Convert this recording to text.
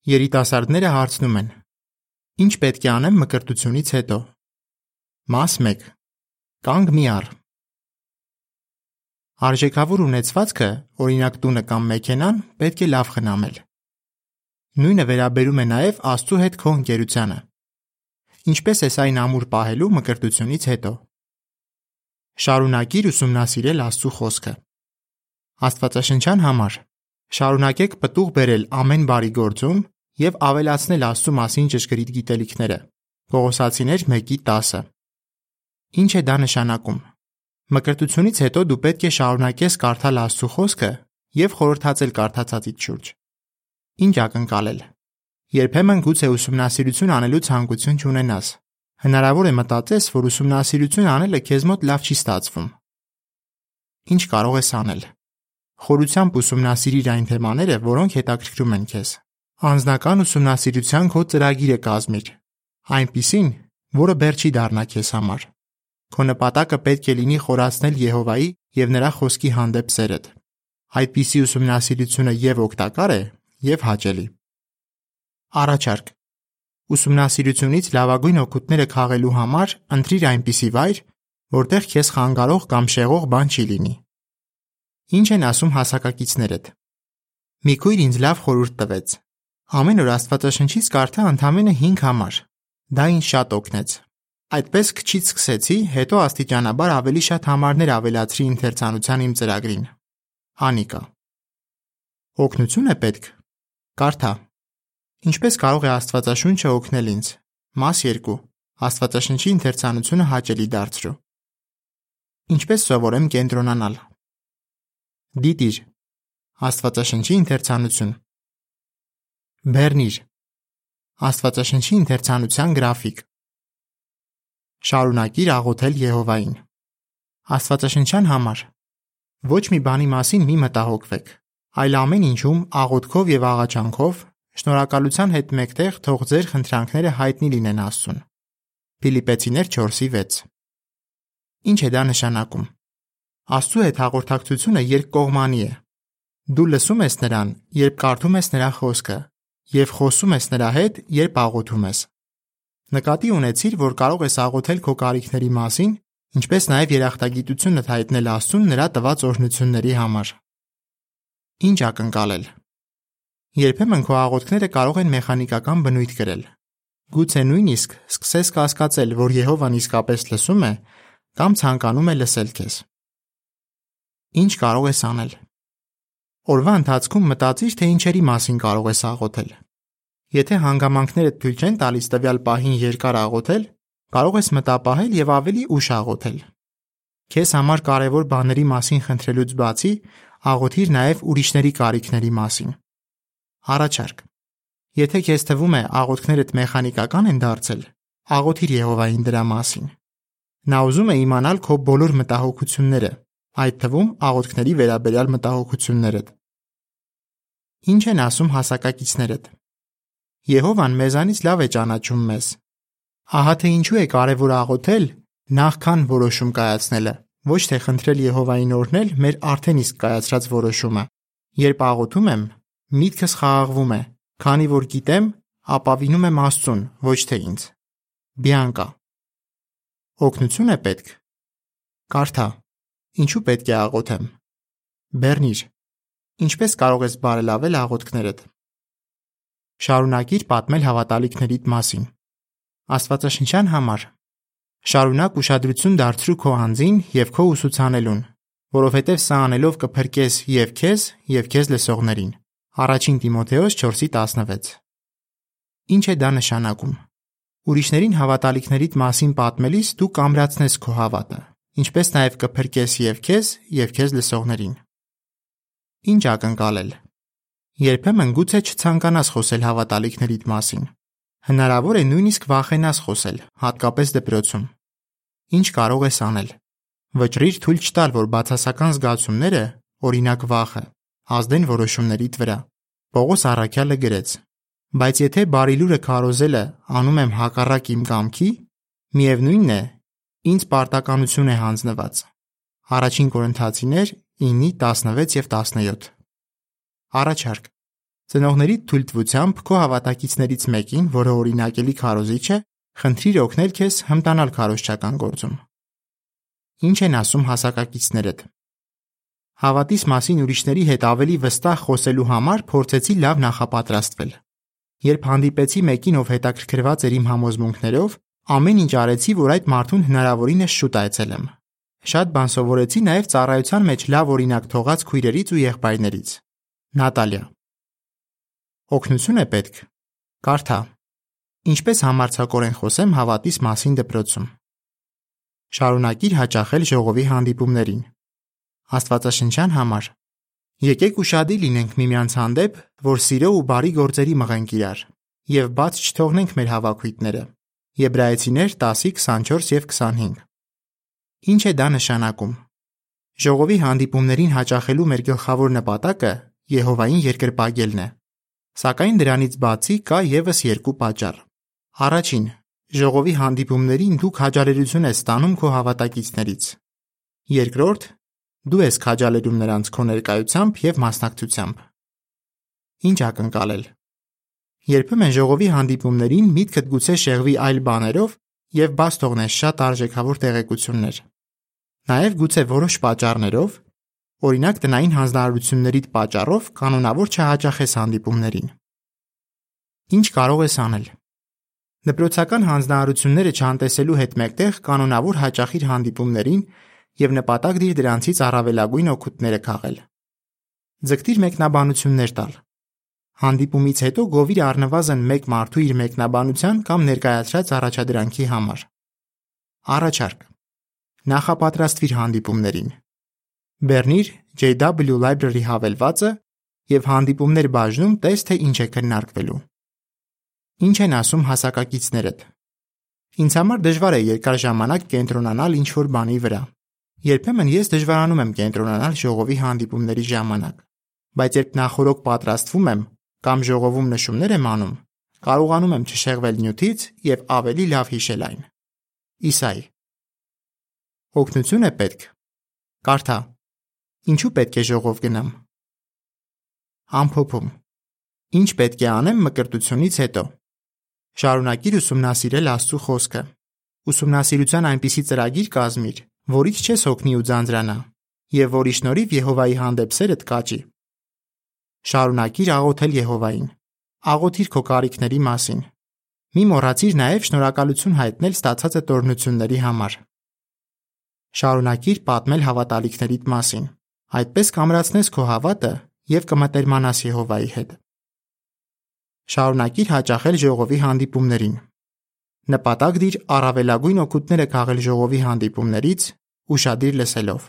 Երիտասարդները հարցնում են. Ինչ պետք է անեմ մկրտությունից հետո։ Մաս 1. Կանգ մի առ։ Արժեքավոր ունեցվածքը, օրինակ տունը կամ մեքենան, պետք է լավ խնամել։ Նույնը վերաբերում է նաև Աստծու հետ քո ընկերությանը։ Ինչպես ես այն ամուր պահելու մկրտությունից հետո։ Շարունակիր ուսումնասիրել Աստծու խոսքը։ Աստվածաշնչյան համար շարունակեք պտուղ բերել ամեն բարի գործում և ավելացնել Աստծու մասին ճշգրիտ գիտելիքները։ Կողոսացիներ 1:10։ Ինչ է դա նշանակում։ Մկրտությունից հետո դու պետք է շարունակես կարդալ Աստծու խոսքը և խորհրդածել կարդացածիդ շուրջ։ Ինչ ակնկալել։ Երբեմն գուցե ուսումնասիրություն անելու ցանկություն չունենաս։ Հնարավոր է մտածես, որ ուսումնասիրություն անելը քեզ մոտ լավ չի ստացվում։ Ինչ կարող ես անել։ Խորությամբ ուսումնասիրիր այն թեմաները, որոնք հետաքրքրում են քեզ։ Անձնական ուսումնասիրության քո ծրագիրը կազմիր, այնպիսին, որը բեռ չի դառնա քեզ համար։ Քո նպատակը պետք է լինի խորացնել Եհովայի և նրա խոսքի հանդեպ սերդ։ Այդպիսի ուսումնասիրությունը և օգտակար է, և հաճելի։ Առաջարկ. ուսումնասիրությունից լավագույն օգուտները քաղելու համար ընտրիր այնպիսի վայր, որտեղ քեզ խանգարող կամ շեղող բան չի լինի։ Ինչ են ասում հասակակիցներդ։ Մի քույր ինձ լավ խորհուրդ տվեց։ Ամեն օր Աստվածաշնչից կարդա ընդամենը 5 համար։ Դա ինձ շատ օգնեց։ Այդպես քչից սկսեցի, հետո աստիճանաբար ավելի շատ համարներ ավելացրի ընթերցանության իմ ծրագրին։ Անիկա. օգնություն է պետք։ Կարդա։ Ինչպես կարող է Աստվածաշունչը օգնել ինձ։ Մաս 2. Աստվածաշնչի ընթերցանությունը հաճելի դարձրու։ Ինչպես սովորեմ կենտրոնանալ։ Դիտիր. Աստվածաշնչի ընթերցանություն։ Բեռնիր. Աստվածաշնչի ընթերցանության գրաֆիկ։ Շարունակիր աղոթել Եհովային։ Աստվածաշնչյան համար ոչ մի բանի մասին մի մտահոգվեք, այլ ամեն ինչում աղոթքով և աղաչանքով շնորհակալության հետ մեկտեղ թող ձեր խնդրանքները հայտնի լինեն Աստծուն։ Փիլիպպեցիներ 4:6։ Ինչ է դա նշանակում։ Աստծու հետ հաղորդակցությունը երկկողմանի է։ Դու լսում ես Նրան, երբ կարդում ես Նրա խոսքը, և խոսում ես Նրա հետ, երբ աղոթում ես։ Նկատի ունեցիր, որ կարող ես աղոթել քո կարիքների մասին, ինչպես նաև երախտագիտությունդ հայտնել Աստծուն Նրա տված օրհնությունների համար։ Ինչ ակնկալել։ Երբեմն քո աղոթքները կարող են մեխանիկական բնույթ կրել։ Գուցե նույնիսկ սկսես կասկածել, որ Եհովան իսկապես լսում է կամ ցանկանում է լսել քեզ։ Ինչ կարող ես անել։ Օրվա ընթացքում մտածիր, թե ինչերի մասին կարող ես աղոթել։ Եթե հանգամանքներդ թույլ չեն տալիս տվյալ պահին երկար աղոթել, կարող ես մտապահել և ավելի ուշ աղոթել։ Քեզ համար կարևոր բաների մասին խնդրելուց բացի, աղոթիր նաև ուրիշների կարիքների մասին։ Առաջարկ. Եթե քեզ թվում է աղոթքներդ մեխանիկական են դարձել, աղոթիր Եհովային դրա մասին։ Նա ուզում է իմանալ քո բոլոր մտահոգությունները, այդ թվում աղոթքների վերաբերյալ մտահոգություններդ։ Ինչ են ասում հասակակիցներդ։ Եհովան մեզանից լավ է ճանաչում մեզ։ Ահա թե ինչու է կարևոր աղոթել, նախքան որոշում կայացնելը, ոչ թե խնդրել Եհովային օրհնել մեր արդեն իսկ կայացրած որոշումը։ Երբ աղոթում եմ, միտքս խաղաղվում է, քանի որ գիտեմ, ապավինում եմ Աստծուն, ոչ թե ինձ։ Բիանկա. օգնություն է պետք։ Կարդա. ինչու պետք է աղոթեմ։ Բեռնիր. ինչպես կարող ես բարելավել աղոթքներդ։ Շարունակիր պատմել հավատալիքներիդ մասին։ Աստվածաշնչյան համար շարունակ ուշադրություն դարձրու քո անձին և քո ուսուցանելուն, որովհետև սա անելով կփրկես և քեզ, և քեզ լսողներին։ Առաջին Տիմոթեոս 4:16։ Ինչ է դա նշանակում։ Ուրիշներին հավատալիքներիդ մասին պատմելիս դու կամրացնես քո հավատը, ինչպես նաև կփրկես և քեզ լսողներին։ Ինչ ակնկալել։ Երբեմն գուցե չցանկանաս խոսել հավատալիքներիդ մասին։ Հնարավոր է նույնիսկ վախենաս խոսել, հատկապես դպրոցում։ Ինչ կարող ես անել։ Վճռիր թույլ չտալ, որ բացասական զգացումները, օրինակ վախը, ազդեն որոշումներիդ վրա։ Պողոս առաքյալը գրեց. բայց եթե բարի լուրը քարոզելը անում եմ հակառակ իմ կամքի, միևնույնն է, ինձ պարտականություն է հանձնված։ Առաջին Կորինթացիներ 9:16 և 17։ Առաջարկ. Ծնողների թույլտվությամբ քո հավատակիցներից մեկին, որը օրինակելի քարոզիչ է, խնդրիր օգնել քեզ հմտանալ քարոզչական գործում։ Ինչ են ասում հասակակիցներդ։ Հավատիս մասին ուրիշների հետ ավելի վստահ խոսելու համար փորձեցի լավ նախապատրաստվել։ Երբ հանդիպեցի մեկին, ով հետաքրքրված էր իմ համոզմունքներով, ամեն ինչ արեցի, որ այդ մարդուն հնարավորինս շուտ այցելեմ։ Շատ բան սովորեցի նաև ծառայության մեջ լավ օրինակ թողած քույրերից ու եղբայրներից։ Նատալիա։ Օգնություն է պետք։ Կարդա։ Ինչպես համարձակորեն խոսեմ հավատիս մասին դպրոցում։ Շարունակիր հաճախել ժողովի հանդիպումներին։ Աստվածաշնչյան համար։ Եկեք ուշադիր լինենք միմյանց հանդեպ, որ սիրո ու բարի գործերի մղենք իրար, եւ բաց չթողնենք մեր հավաքույտները։ Եբրայեցիներ 10:24 եւ 25։ Ինչ է դա նշանակում։ Ժողովի հանդիպումներին հաճախելու մեր գլխավոր նպատակը Եհովային երկրպագելն է։ Սակայն դրանից բացի կա եւս երկու պատճառ։ Առաջին, ժողովի հանդիպումներին դու քաջալերություն ես ստանում քո հավատակիցներից։ Երկրորդ, դու ես քաջալերում նրանց քո ներկայությամբ եւ մասնակցությամբ։ Ինչ ակնկալել։ Երբեմն ժողովի հանդիպումներին միտքդ գուցե շեղվի այլ բաներով եւ բաց թողնես շատ արժեքավոր տեղեկություններ։ Նաեւ գուցե որոշ պատճառներով, օրինակ տնային հանձնարարություններիդ պատճառով կանոնավոր չհաճախես հանդիպումներին։ Ինչ կարող ես անել։ Դպրոցական հանձնարարությունները չանտեսելու հետ մեկտեղ կանոնավոր հաճախիր հանդիպումներին եւ նպատակ դիր դրանցից առավելագույն օգուտները քաղել։ Ձգտիր մեկնաբանություններ տալ։ Հանդիպումից հետո գովիր առնվազն մեկ մարդու իր մեկնաբանության կամ ներկայացրած առաջադրանքի համար։ Առաջարկ։ Նախապատրաստվիր հանդիպումներին։ Բեռնիր JW Library հավելվածը եւ հանդիպումներ բաժնում տես թե ինչ է քննարկվելու։ Ինչ են ասում հասակակիցներդ։ Ինձ համար դժվար է երկար ժամանակ կենտրոնանալ ինչ-որ բանի վրա։ Երբեմն ես դժվարանում եմ կենտրոնանալ ժողովի հանդիպումների ժամանակ, բայց երբ նախօրոք պատրաստվում եմ կամ ժողովում նշումներ եմ անում, կարողանում եմ չշեղվել նյութից եւ ավելի լավ հիշել այն։ Իսայի։ Օգնություն է պետք։ Կարդա։ Ինչու պետք է ժողով գնամ։ Ամփոփում։ Ինչ պետք է անեմ մկրտությունից հետո։ Շարունակիր ուսումնասիրել Աստծո խոսքը։ Ուսումնասիրության այնպիսի ծրագիր կազմիր, որից չես հոգնի ու ձանձրանա, եւ որի շնորհիվ Եհովայի հանդեպ սերդ կաճի։ Շարունակիր աղոթել Եհովային։ Աղոթիր քո կարիքների մասին։ Մի մոռացիր նաև շնորհակալություն հայտնել ստացած տոհրությունների համար։ Շարունակիր պատմել հավատալիքներիդ մասին։ Այդպես կամրացնես քո հավատը եւ կմտերմանաս Եհովայի հետ։ Շարունակիր հաճախել ժողովի հանդիպումներին։ Նպատակ դիր առավելագույն օգուտները քաղել ժողովի հանդիպումներից, ուշադիր լսելով։